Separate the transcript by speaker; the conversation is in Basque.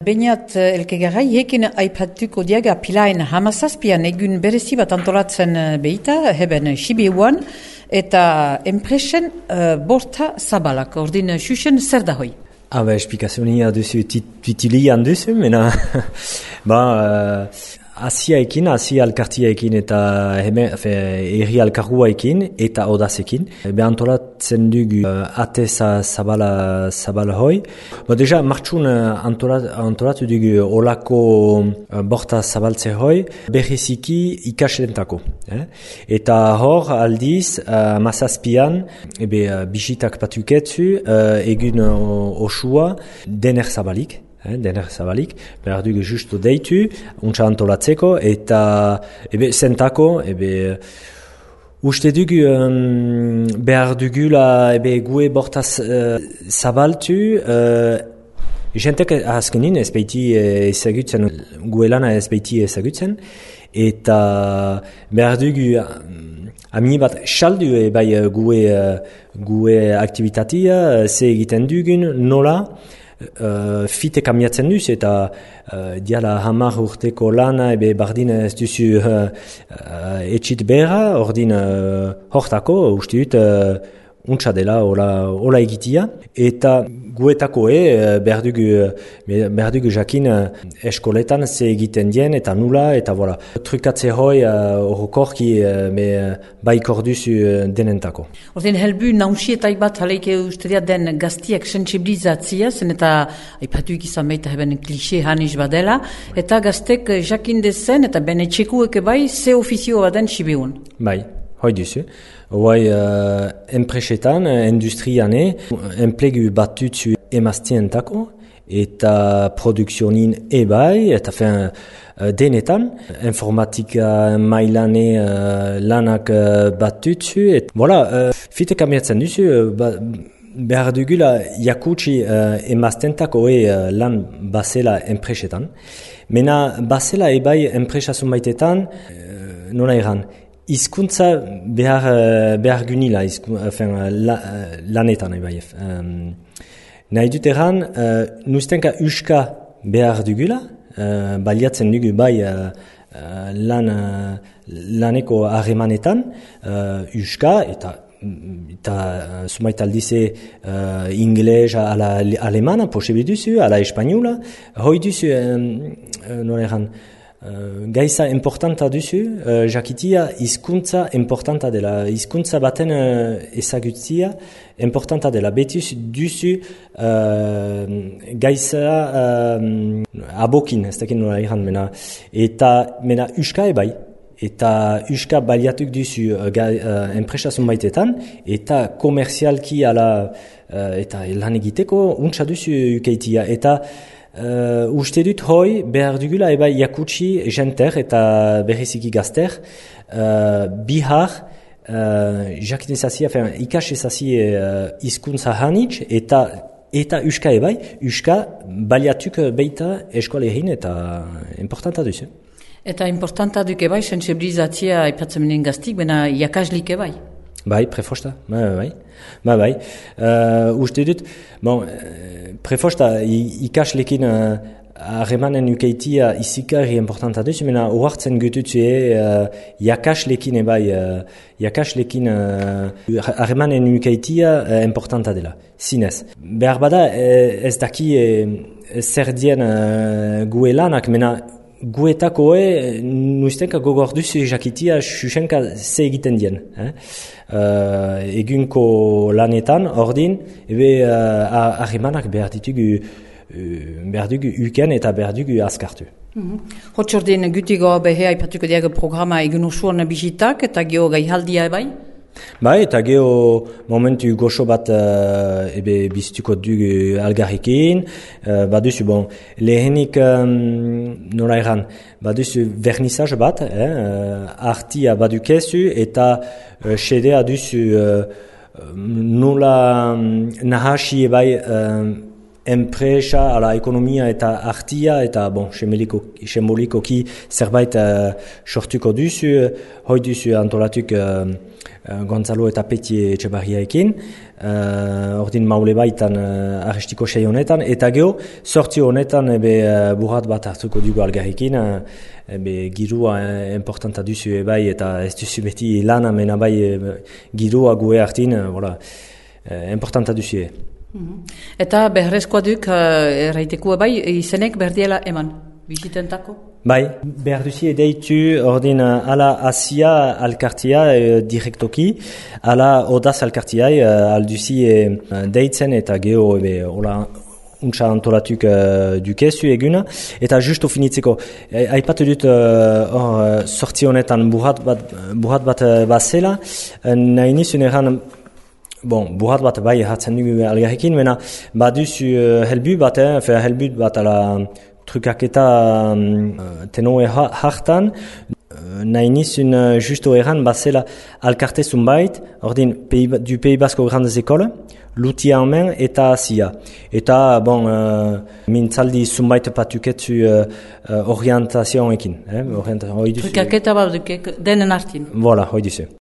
Speaker 1: Beñat elkegarai hekin aipatuko diaga pilaen hamazazpian egun berezi bat antolatzen behita, heben Sibiuan, eta enpresen borta zabalak, ordin xuxen zer da hoi?
Speaker 2: Esplikazionia duzu, titilian duzu, mena, Asiaekin, Asia alkartiaekin eta erri alkarguaekin eta odazekin. Antolatzen dugu ate zabala hoi. Deja, martxun antolatu dugu olako borta zabaltze hoi, berriziki ikasentako. Eta hor aldiz, mazazpian, bisitak patuketzu, egun osua, dener zabalik. Behar dugu justu deitu, untsa antolatzeko, eta zentako, uste dugu behar dugula gue bortaz zabaltu, jentek azkenin ez behiti ezagutzen, gue lana ez behiti ezagutzen, eta behar dugu amini bat saldu gue aktivitatea, ze egiten dugun, nola, fite kamiatzen duz eta diala 10 urteko lana bardin ez duzu etxit behar, ordin hortako uste dut untsa dela hola egitia eta guetako behar dugu jakin eskoletan ze egiten dien eta nula eta voilà. Trukatze hoi horrokorki baikor duzu denentako.
Speaker 1: Ordin helbu nausietaiak bat haleike uste den gaztiak sensibilizatzia, zen eta aipatuik izan baita heben klixe haniz badela, eta gaztek jakin dezen eta bene txekueke bai ze ofizio baden Sibiun.
Speaker 2: Bai. Hoi duzu. Hoi enpresetan, industriane, enplegu batutzu emaztientako eta produkzionin ebai, eta denetan, informatika mailane lanak batutzu. Fite kamiatzen duzu, behar dugula jakutsi emaztentako lan basela enpresetan. Mena basela ebai enpresasun baitetan, nola eran, hizkuntza behar gunila, lanetan ebai. Nahi dut eran, nuztenka uska behar dugula, baliatzen dugu bai laneko harremanetan, uska eta sumait aldize ingles ala alemana, posibil duzu, ala espainola, hoi duzu, nola eran, Gaiza importanta duzu, jakitia hizkuntza importanta dela. Hizkuntza baten ezagutzia importanta dela. Betuz duzu gaiza abokin, ez dakit nola iran, mena uska ebai. Eta uska baliatuk duzu enpresasun baitetan, eta komerzialki ala eta lan egiteko untsa duzu ukeitia. Eta uste dut hoi behar dugula eba jakutsi jenter eta berriziki gazter bihar jakitezazia, ikasezazia hizkuntza hanitz eta uska ebai, uska baliatuk beita eskoalerin eta importanta duzu.
Speaker 1: Eta importanta duk ebai, sensibilizatzia aipatzen menen gaztik, bena jakaslik ebai?
Speaker 2: Bai, prefosta, bai. Uste dut, prefosta ikaslekin harremanen ukeitia izikari importanta duzu, mena ohartzen gututzu jakaslekin jakaslekin harremanen ukeitia importanta dela, zinez. Behar bada ez daki zer dien gue lanak, mena guetako nuztenka gogor duzu jakitia xuxenka ze egiten dien. Egunko lanetan, ordin, harremanak behar dugu uken eta behar dugu azkartu.
Speaker 1: Hotzordin gutigo behe aipatuko diago programa egun osuan bisitak eta geho gaihaldia ebai?
Speaker 2: Bai, eta geho momentu goxo bat bizituko dugu algarrikin, baduzu, lehenik nola eran, baduzu vernissage bat, artia badukezu eta sedea duzu nola nahasi ebai enpresa, ala ekonomia eta artia, eta sembolikoki zerbait sortuko duzu, hoi duzu antolatuk Gonzalo eta Peti Etxebarriaekin, ordin maule baitan arrestiko sei honetan, eta geho, sortzio honetan burrat bat hartuko dugu algarrikin, girua importanta duzu bai, eta ez duzu beti lana mena bai girua gue hartin, importanta duzu
Speaker 1: Eta beharrezkoa duk, erraiteko bai, izenek berdiela eman, bizitentako?
Speaker 2: Bai, behar duzi deitu ordin ala Asia alkartia direktoki, ala Odaz alkartia alduzi deitzen eta geho untsa antolatuk dukezu eguna, eta justo finitzeko, aipatu dut sortzi honetan burrat bat bazela, nahi nizun eran burrat bat bai hartzen dugu algarrekin, mena baduzu helbut bat ala trukaketa tenoe hartan, nahi nizun justo eran bazela alkarte zunbait, ordin du Pays Basque Grandes Écoles, Lutia omen eta Asia. Eta, mintzaldi zunbait patuketzu orientazioekin.
Speaker 1: Trukaketa bat denen artin.
Speaker 2: Voilà, hoi duzu.